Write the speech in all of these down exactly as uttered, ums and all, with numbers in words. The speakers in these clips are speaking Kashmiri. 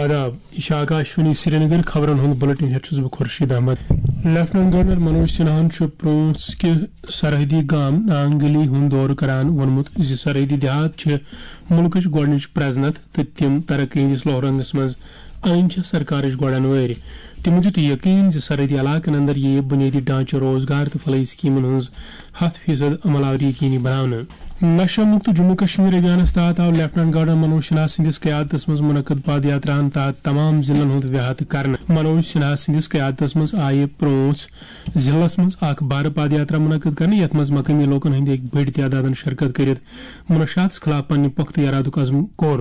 آداب، یہِ چھِ آکاشوانی سرینگر۔ خبرن ہُنٛد بُلٹن ہٮ۪تھ چھُس بہٕ خورشید احمد۔ لیفٹیننٹ گورنر منوج سنہاہن چھُ پرونس کہِ سرحدی گام نانگلی ہُنٛد دورٕ کران ووٚنمُت زِ سرحدی دیہات چھِ مُلکٕچ گۄڈٕنِچ پرزنتھ تہٕ تِم ترقی ہٕنٛدِس لوہرنگس منٛز أنۍ چھِ سرکارٕچ گۄڈن وٲرۍ۔ تِمو دیُت یقین زِ سرحدی علاقن اندر یِیہِ بُنیٲدی ڈھانچہٕ، روزگار تہٕ فلاحی سکیمن ہٕنٛز ہتھ فیصد عمل آوری یقینی بناونہٕ۔ نشہ مکت جموں کشمیر ابھیانس تحت آو لیفٹیننٹ گورنر منوج سنہا سٕنٛدِس قیادتس منٛز منعقد پد یاتراہن تحت تمام ضلعن ہُنٛد ویہتہٕ کرنہٕ۔ منوج سنہا سٕنٛدِس قیادتس منٛز آیہِ پرونس ضلعس منٛز اکھ بھر پد یاترا منعقد کرنہٕ، یتھ منٛز مقٲمی لوکن ہٕنٛدۍ أکۍ بٔڑۍ تعدادن شرکت کٔرِتھ منشیاتس خلاف پننہِ پختہٕ ارادُک عزم کوٚر۔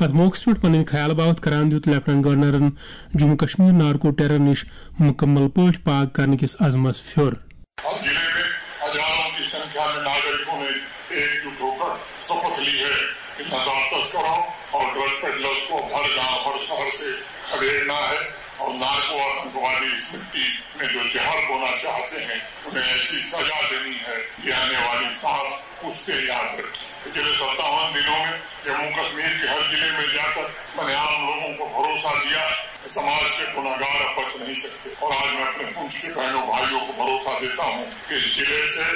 اتھ موقعس پٮ۪ٹھ پنٕنۍ خیال باوتھ کران دیُت لیفٹیننٹ گورنرن جموں کشمیر نارکو ٹیرر نِش مکمل پٲٹھۍ پاک کرنہٕ کِس عزمس پھیوٚر۔ ہر ضلع میں ہزاروں کی سنکھیا میں ناگرکوں نے ایک جٹ ہو کر شپتھ لی ہے کہ نژاد تسکروں اور ڈرگ پیڈلرز کو ہر گاؤں، ہر شہر سے کھدیڑنا ہے اور نارکو آتنکوادی اس مٹی میں جو زہر بونا چاہتے ہیں، انہیں ایسی سزا دینی ہے کہ آنے والی سانس اس سے یاد رکھیں۔ پچھلے ستاون دنوں میں جموں کشمیر کے ہر ضلع میں جا کر میں نے عام لوگوں کو بھروسہ دیا کہ سماج کے گناہگار اب بچ نہیں سکتے، اور آج میں اپنے پونچھ کے بہنوں بھائیوں کو بھروسہ دیتا ہوں کہ اس ضلع سے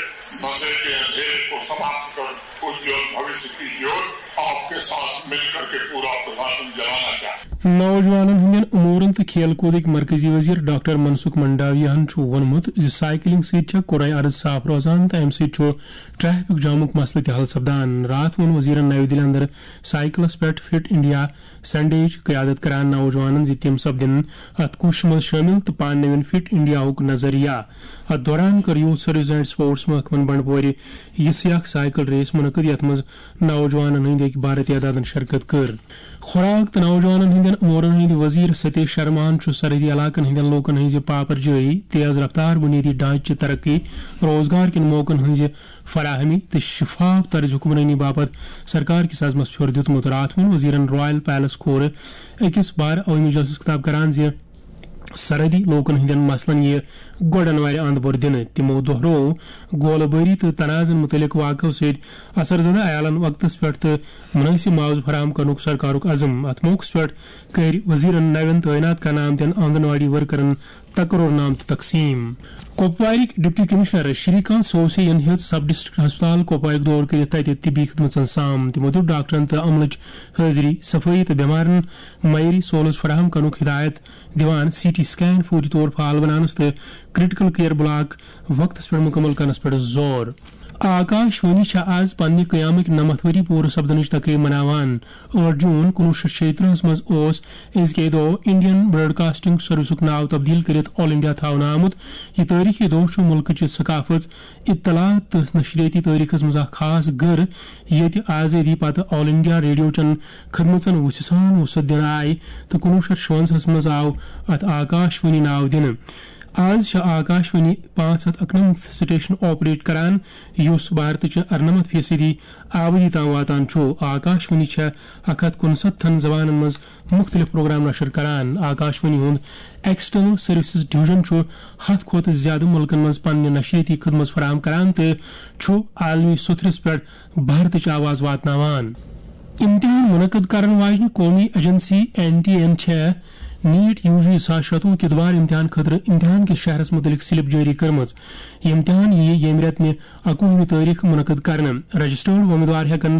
نشے کے اندھیرے کو سماپت کر اجول بھوشیہ کی جوت آپ کے ساتھ مل کر کے پورا پرشاسن جلانا چاہے۔ نوجوانن ہٕنٛدٮ۪ن امورن تہٕ کھیل کوٗدٕکۍ مرکزی وزیر ڈاکٹر منسکھ منڈاویاہن چھُ ووٚنمُت زِ سائیکلنگ سۭتۍ چھےٚ قرعہ ارض صاف روزان تہٕ امہِ سۭتۍ چھُ ٹریفک جامُک مسلہٕ تہِ حل سپدان۔ راتھ ووٚن وزیرن نَوِ دِلہِ اندر سائیکلس پٮ۪ٹھ فٹ انڈیا سنڈے ہٕچ قیادت کران نوجوانن زِ تِم سپدن اتھ کوٗششہِ منٛز شٲمِل تہٕ پانہٕ نِوَن فٹ انڈیاہُک نظریہ۔ اتھ دوران کٔر یوتھ سروس اینڈ سپورٹس محکمن بنڈپورِ یہِ سیاق سائیکل ریس منعقد، یتھ منٛز نوجوانن ہٕنٛدۍ أکۍ بھارتی اعدادن شرکت کٔر۔ خوراک تہٕ نوجوانن ہٕنٛدٮ۪ن امورن ہٕنٛدۍ وزیر ستیش شرماہن چھُ سرحدی علاقن ہٕنٛدٮ۪ن لوٗکن ہٕنٛزِ پاپرجٲیی، تیز رفتار بُنیٲدی ڈھانچہٕ ترقی، روزگار کٮ۪ن موقعن ہٕنٛزِ فراہمی تہٕ شفاف طرز حکمرٲنی باپتھ سرکار کِس عزمس پھیوٚر دیُتمُت۔ راتھ ووٚن وزیرن رائل پیلس کھورٕ أکِس بار عوٲمی جلسس خطاب کران زِ سرحدی لوٗکن ہٕنٛدٮ۪ن مسلن یِیہِ گۄڈن وارِ اند بور دِنہٕ۔ تِمو دۄہروو گولہٕ بٲری تہٕ تنازن مُتعلق واقعو سۭتۍ اثر زدہ عیالن وقتس پٮ۪ٹھ تہٕ مُنٲسِب معاوضہٕ فراہم کرنُک سرکارُک عزم۔ اتھ موقعس پٮ۪ٹھ کٔرۍ وزیرن نوٮ۪ن تعینات کرنہٕ آمتٮ۪ن آنگن واڑی ورکرن تقرر نامہٕ تہِ تقسیٖم۔ کپوارٕکۍ ڈپٹی کمشنر شری کانت سوسے ین ہیٚژ سب ڈسٹرکٹ ہسپتال کپوارُک دورٕ کٔرِتھ تتہِ طبی خدمژن سام۔ تِمو دیُت ڈاکٹرن تہٕ عملٕچ حٲضری، صفٲیی تہٕ بٮ۪مارن معیٲری سہوٗلژ فراہم کرنُک ہدایت دِوان سی ٹی سکین فوری طور فعال بناونس تہٕ کریٹیکل کیئر بلاک وقتس پٮ۪ٹھ مکمل کرنس پٮ۪ٹھ زور۔ آکاش وانی چھےٚ آز پننہِ قیامٕکۍ نَمَتھ ؤری پوٗرٕ سپدنٕچ تقریٖب مناوان۔ ٲٹھ جوٗن کُنوُہ شیٚتھ شیٚیہِ ترٕٛہس منٛز اوس أزکہِ دۄہ انڈین براڈکاسٹنگ سروسُک ناو تبدیل کٔرِتھ آل انڈیا تھاونہٕ آمُت۔ یہِ تٲریخی دۄہ چھُ مُلکٕچہِ ثقافت، اطلاعات تہٕ نشریٲتی تٲریخس منٛز اکھ خاص گٔر، ییٚتہِ آزٲدی پتہٕ آل انڈیا ریڈیو چٮ۪ن خدمژن وُژھِ سان وُسعت دِنہٕ آیہِ تہٕ کُنوُہ شیٚتھ شُوَنزاہس منٛز آو اتھ آکاش وانی ناو دِنہٕ۔ آز چھِ آکاش وانی پانٛژھ ہتھ اَکنَمَتھ سٹیشن آپریٹ کران، یُس بھارتٕچہِ اَرنَمَتھ فیصدی آبٲدی تام واتان چھُ۔ آکاش وانی چھےٚ اکھ ہتھ کُنسَتتھن زبانن منٛز مُختٔلِف پروگرام نشر کران۔ آکاش وانی ہُنٛد ایکسٹرنل سروسز ڈویژن چھُ ہتھ کھۄتہٕ زِیٛادٕ مُلکن منٛز پننہِ نشریٲتی خدمژ فراہم کران تہٕ چھُ عالمی سوٚتھرِس پٮ۪ٹھ بھارتٕچ آواز واتناوان۔ امتحان منعقد کرن واجنہِ قومی ایجنسی این ٹی اے ہن چھےٚ نیٹ یو جی زٕ ساس شتوُہ کہِ دُبارٕ امتحان خٲطرٕ امتحان کِس شہرس مُتعلق سلپ جٲری کٔرمٕژ۔ یہِ امتحان یِیہِ ییٚمہِ رٮ۪تہٕ نہِ اَکوُہمہِ تٲریخ منعقد کرنہٕ۔ رجسٹرڈ وۄمیدوار ہٮ۪کن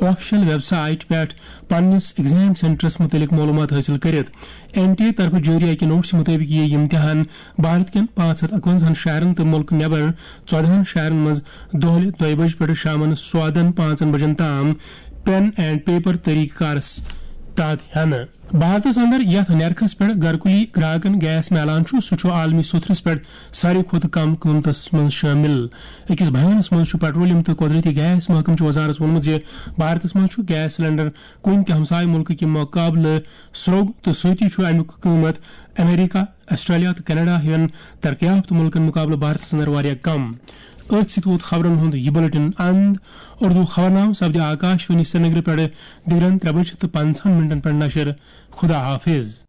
آفیشل ویب سائٹ پٮ۪ٹھ پننِس ایگزام سینٹرس مُتعلق معلوٗمات حٲصِل کٔرِتھ۔ این ٹی اے طرفہٕ جٲری اکہِ نوٹسہٕ مُطٲبِق یِیہِ یہِ امتحان بھارت کٮ۪ن پانٛژھ ہتھ اَکوَنزاہن شہرن تہٕ مُلک نٮ۪بر ژۄدہَن شہرن منٛز دۄہلہِ دۄیہِ بجہِ پٮ۪ٹھٕ شامن سوادن پانٛژن بجن تام پین اینڈ پیپر طریقہٕ کارس تحت ہٮ۪نہٕ۔ بھارتس اندر یتھ نیرخس پٮ۪ٹھ گرکُلی گراہکن گیس میلان چھُ، سُہ چھُ عالمی سوٚتھرِس پٮ۪ٹھ ساروی کھۄتہٕ کم قۭمتس منٛز شٲمِل۔ أکِس بیانس منٛز چھُ پیٹرولیم تہٕ قۄدرٔتی گیس محکمہٕ چہِ وزارتس ووٚنمُت زِ بھارتس منٛز چھُ گیس سلنڈر کُنہِ تہِ ہمسایہِ مُلکہٕ کہِ مُقابلہٕ سرٛوگ تہٕ سۭتی چھُ امیُک قۭمت امریکہ، آسٹریلیا تہٕ کینیڈا ہِوٮ۪ن ترقی یافتہٕ مُلکن مُقابلہٕ بھارتس اندر واریاہ کم۔ أتھۍ سۭتۍ ووت خبرن ہُنٛد یہِ بُلٹن اند۔ اردو خبرنامہٕ سپدِ آکاش وانی سرینگرٕ پٮ۪ٹھٕ دِگرن ترٛےٚ بجہِ تہٕ پنٛژاہن منٹن پٮ۪ٹھ نشر۔ خدا حافظ۔